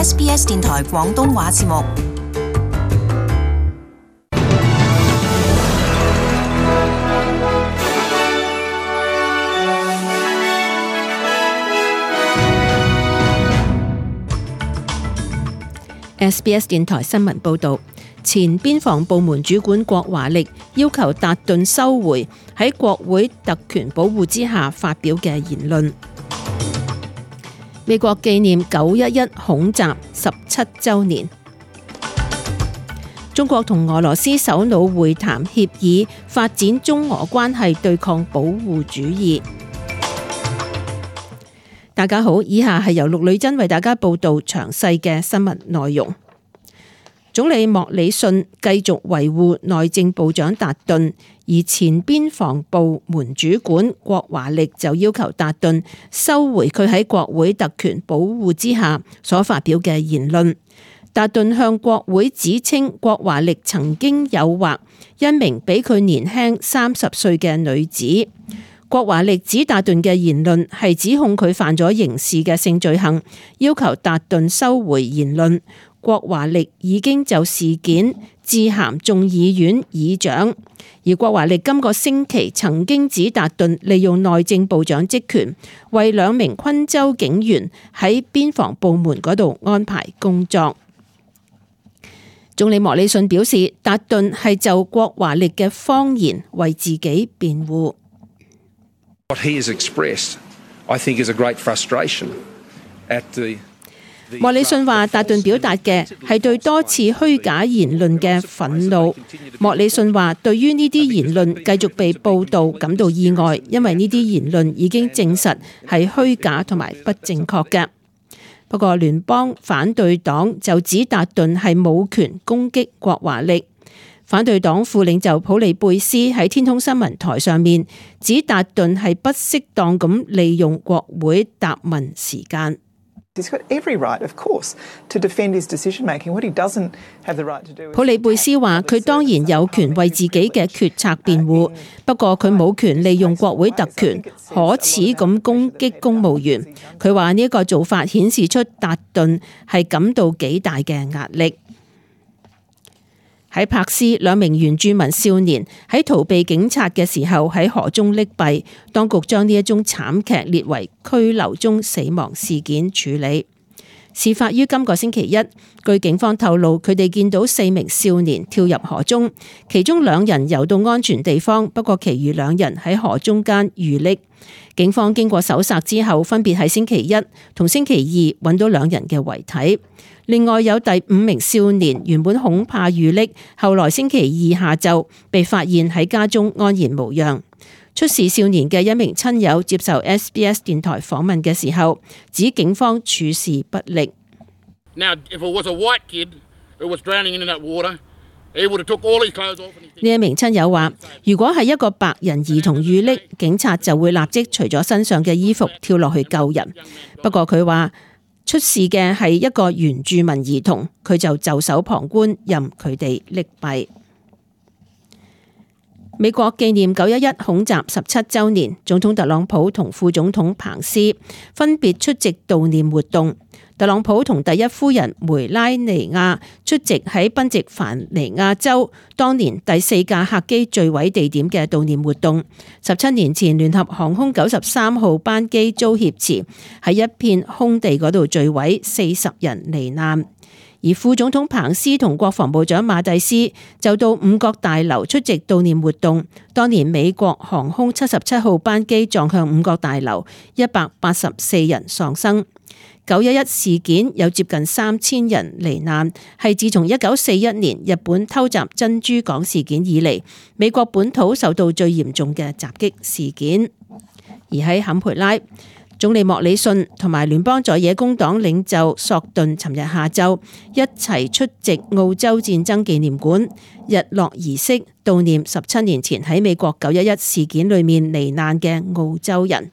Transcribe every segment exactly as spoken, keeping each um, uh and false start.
S B S 電台廣東話節目。S B S 電台新聞報導，前邊防部門主管郭華力要求達頓收回喺國會特權保護之下發表嘅言論。美國紀念九一一恐襲十七週年。中國同俄羅斯首腦會談協議發展中俄關係對抗保護主義。大家好，以下係由陸女真為大家報道詳細嘅新聞內容。總理莫里遜繼續維護內政部長達頓，而前邊防部門主管郭華力就要求達頓收回佢喺國會特權保護之下所發表嘅言論。達頓向國會指稱郭華力曾經誘惑一名比佢年輕三十歲嘅女子。郭華力指達頓嘅言論係指控佢犯咗刑事嘅性罪行，要求達頓收回言論。郭華力已經就事件致函眾議院議長，而郭華力今個星期曾經指達頓利用內政部長職權，為兩名昆州警員喺邊防部門嗰度安排工作。總理莫里遜表示，達頓係就郭華力嘅謊言為自己辯護。What he has expressed, I think, is a great frustration at the莫里遜話，達頓表達嘅係對多次虛假言論嘅憤怒。莫里遜話，對於呢啲言論繼續被報導感到意外，因為呢啲言論已經證實係虛假同埋不正確嘅。不過聯邦反對黨就指達頓係冇權攻擊郭華力。反對黨副領袖普利貝斯喺天空新聞台上面指達頓係不適當咁利用國會答問時間。普利貝斯話：佢當然有權為自己嘅決策辯護，不過佢冇權利用國會特權可恥咁攻擊公務員。佢話呢一個做法顯示出達頓係感到幾大嘅壓力。喺柏斯，兩名原住民少年喺逃避警察嘅時候喺河中溺斃，當局將呢一宗慘劇列為拘留中死亡事件處理。事發於今個星期一，據警方透露，佢哋見到四名少年跳入河中，其中兩人游到安全地方，不過其餘兩人喺河中間遇溺。警方經過搜索之後，分別喺星期一同星期二揾到兩人嘅遺體。另外有第五名少年原本恐怕遇溺，後來星期二下晝被發現喺家中安然無恙。出事少年嘅一名親友接受 S B S 電台訪問嘅時候，指警方處事不力。Now, if it was a white kid who was drowning in that water, he would have took all his clothes off. 呢一名親友話，如果係一個白人兒童遇溺，警察就會立即除咗身上嘅衣服跳落去救人。不過佢話，出事嘅係一個原住民兒童，佢就袖手旁觀，任佢哋溺斃。美國紀念九一一恐襲十七週年，總統特朗普同副總統彭斯分別出席悼念活動。特朗普同第一夫人梅拉尼亞出席喺賓夕凡尼亞州當年第四架客機墜毀地點嘅悼念活動。十七年前，聯合航空九十三號班機遭挾持喺一片空地嗰度墜毀，四十人罹難。而副總統彭斯同國防部長馬蒂斯就到五角大樓出席悼念活動。當年美國航空七十七號班機撞向五角大樓，一百八十四人喪生。九一一事件有接近三千人罹難，係自從一九四一年日本偷襲珍珠港事件以嚟，美國本土受到最嚴重嘅襲擊事件。而喺坎培拉，總理莫里遜同埋聯邦在野工黨領袖索頓尋日下晝一齊出席澳洲戰爭紀念館日落儀式，悼念十七年前喺美國九一一事件裏面罹難嘅澳洲人。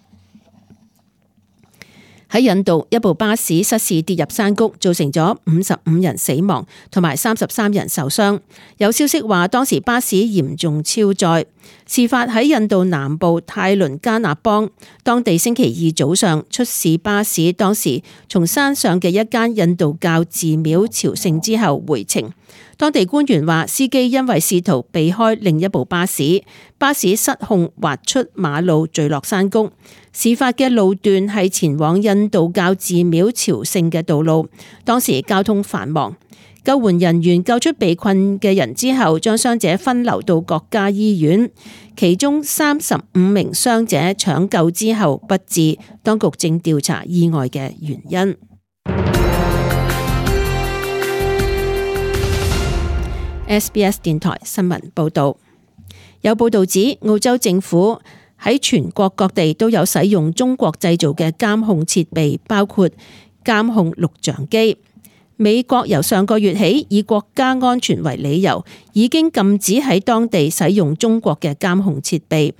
喺印度，一部巴士失事跌入山谷，造成咗五十五人死亡，同埋三十三人受傷。有消息話，當時巴士嚴重超載。事發喺印度南部泰倫加納邦，當地星期二早上出事巴士，當時從山上嘅一間印度教寺廟朝聖之後回程。當地官員話，司機因為試圖避開另一部巴士，巴士失控滑出馬路墜落山谷。事發嘅路段係前往印度教寺廟朝聖嘅道路，當時交通繁忙。救援人員救出被困嘅人之後，將傷者分流到各家醫院，其中三十五名傷者搶救之後不治，當局正調查意外嘅原因。S B S 電台新聞報道，有報道指澳洲政府喺全國各地都有使用中國製造嘅監控設備，包括監控錄像機。美國由上個月起以國家安全為理由，已經禁止喺當地使用中國嘅監控設備。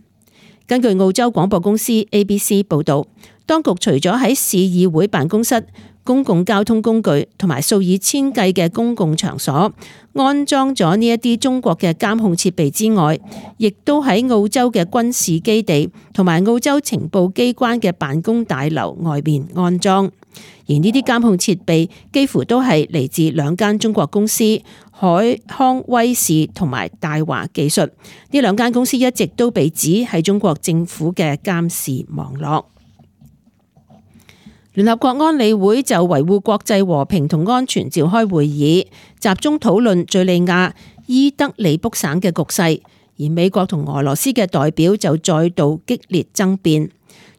根據澳洲廣播公司 A B C 報道，當局除咗喺市議會辦公室、公共交通工具同埋數以千計嘅公共場所安裝咗呢一啲中國嘅監控設備之外，亦都喺澳洲嘅軍事基地同埋澳洲情報機關嘅辦公大樓外面安裝。而呢啲監控設備幾乎都係嚟自兩間中國公司海康威視同埋大華技術。呢兩間公司一直都被指係中國政府嘅監視網絡。聯合國安理會就維護國際和平同安全召開會議，集中討論敘利亞伊德利卜省嘅局勢，而美國同俄羅斯嘅代表就再度激烈爭辯。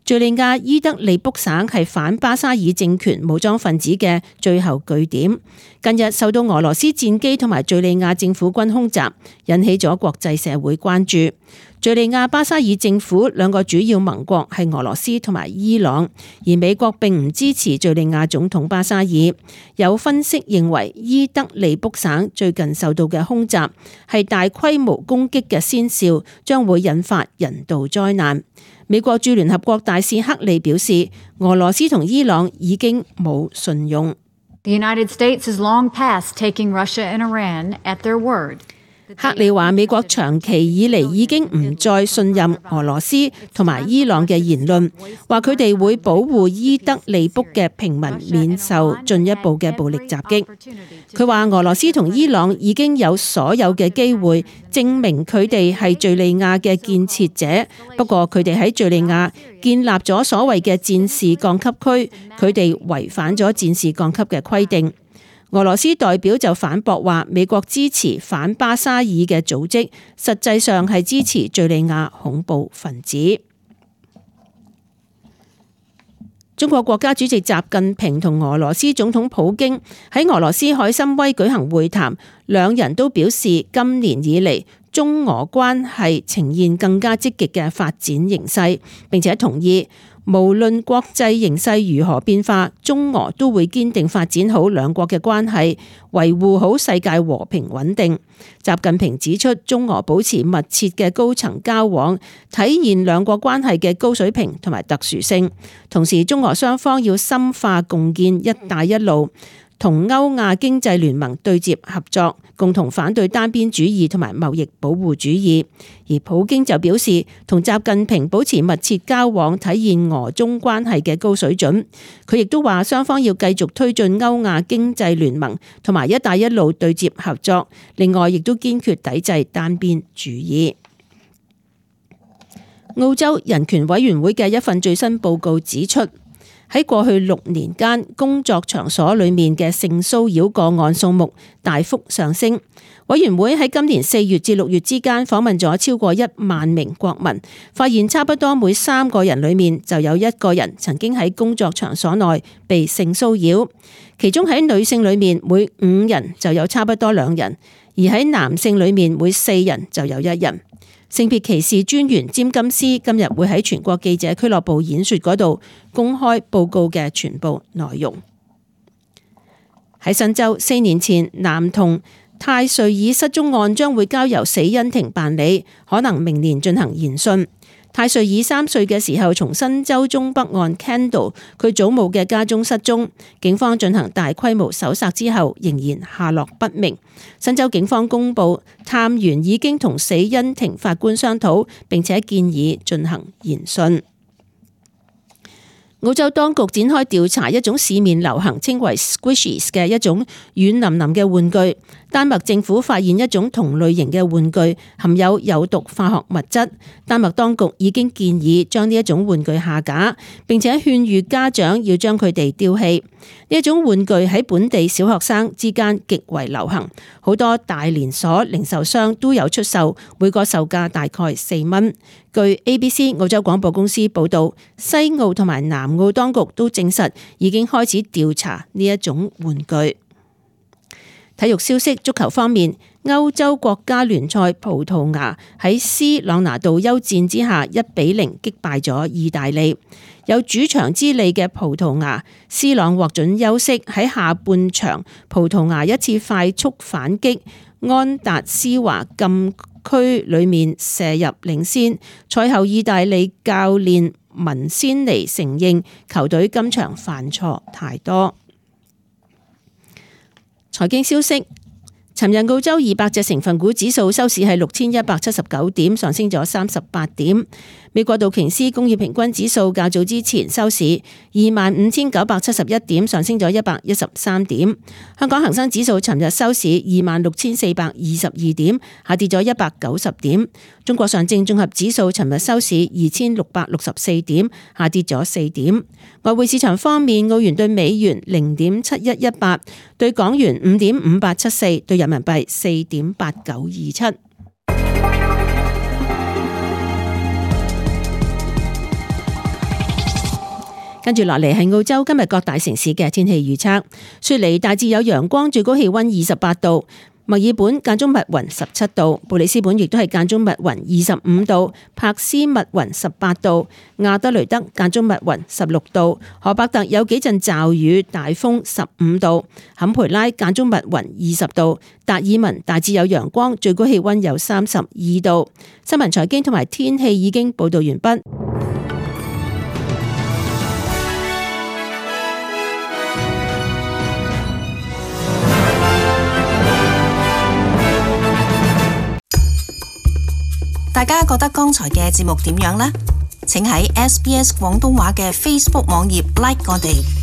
敘利亞伊德利卜省係反巴沙爾政權武裝分子嘅最後據點，近日受到俄羅斯戰機同埋敘利亞政府軍空襲，引起咗國際社會關注。敘利亞巴沙爾政府兩個主要盟國係俄羅斯同埋伊朗，而美國並唔支持敘利亞總統巴沙爾。有分析認為，伊德利卜省最近受到嘅空襲係大規模攻擊嘅先兆，將會引發人道災難。美國駐聯合國大使克利表示，俄羅斯同伊朗已經冇信用。The United States has long past taking Russia and Iran at their word. 克利話，美國長期以嚟已經唔再信任俄羅斯同埋伊朗嘅言論，話佢哋會保護伊德利卜嘅平民免受進一步嘅暴力襲擊。佢話俄羅斯同伊朗已經有所有嘅機會證明佢哋係敘利亞嘅建設者，不過佢哋喺敘利亞建立咗所謂嘅戰時降級區，佢哋違反咗戰時降級嘅規定。俄羅斯代表就反駁話，美國支持反巴沙爾嘅組織，實際上係支持敘利亞恐怖分子。中國國家主席習近平同俄羅斯總統普京喺俄羅斯海參崴舉行會談，兩人都表示今年以嚟中俄關係呈現更加積極嘅發展形勢，並且同意無論國際形勢如何變化，中俄都會堅定發展好兩國嘅關係，維護好世界和平穩定。習近平指出，中俄保持密切嘅高層交往，體現兩國關係嘅高水平同埋特殊性。同時，中俄雙方要深化共建一帶一路，同歐亞經濟聯盟對接合作，共同反對單邊主義同埋貿易保護主義。而普京就表示，同習近平保持密切交往，體現俄中關係嘅高水準。佢亦都話，雙方要繼續推進歐亞經濟聯盟同埋一帶一路對接合作。另外，亦都堅決抵制單邊主義。澳洲人權委員會嘅一份最新報告指出，喺過去六年間，工作場所裏面嘅性騷擾個案數目大幅上升。委員會喺今年四月至六月之間訪問咗超過一萬名國民，發現差不多每三個人裏面就有一個人曾經喺工作場所內被性騷擾，其中喺女性裏面每五人就有差不多兩人，而喺男性裏面每四人就有一人。性別歧視專員詹金斯今日會喺全國記者俱樂部演說嗰度公開報告嘅全部內容。喺新州，四年前男童泰瑞爾失蹤案將會交由死因庭辦理，可能明年進行研訊。泰瑞爾三歲嘅時候從新州中北岸 Kendall 佢祖母嘅家中失蹤，警方進行大規模搜索之後仍然下落不明。新州警方公布，探員已經同死因庭法官商討，並且建議進行研訊。澳洲當局展開調查一種市面流行稱為 Squishies 嘅一種軟腍腍嘅玩具。丹麥政府發現一種同類型嘅玩具含有有毒化學物質，丹麥當局已經建議將呢一種玩具下架，並且勸喻家長要將佢哋丟棄。呢一種玩具喺本地小學生之間極為流行，好多大連鎖零售商都有出售，每個售價大概四蚊。據 A B C 澳洲廣播公司報導，西澳同埋南澳當局都證實已經開始調查呢一種玩具。體育消息，足球方面，歐洲國家聯賽葡萄牙喺斯朗拿度休戰之下一比零擊敗咗意大利。有主場之利嘅葡萄牙，斯朗獲准休息，喺下半場葡萄牙一次快速反擊，安達斯華禁區裏面射入領先。賽後意大利教練文仙尼承認球隊今場犯錯太多。財經消息，尋日澳洲二百隻成分股指數收市係六千一百七十九點，上升咗三十八點。美國道瓊斯工業平均指數較早之前收市二萬五千九百七十一點，上升咗一百一十三點。香港恒生指數尋日收市二萬六千四百二十二點，下跌咗一百九十點。中國上證綜合指數尋日收市二千六百六十四點，下跌咗四點。外匯市場方面，澳元對美元零點七一一八，對港元五點五八七四，對人民幣四點八九二七。跟住落嚟係澳洲今日各大城市嘅天氣預測。雪梨大致有陽光，最高氣溫二十八度；墨爾本間中密雲十七度；布里斯本亦都係間中密雲二十五度；柏斯密雲十八度；亞德雷德間中密雲十六度；荷伯特有幾陣驟雨，大風十五度；坎培拉間中密雲二十度；達爾文大致有陽光，最高氣溫有三十二度。新聞財經同埋天氣已經報道完畢。大家覺得剛才嘅節目點樣呢？請喺 S B S 廣東話嘅 Facebook 網頁 like 我哋。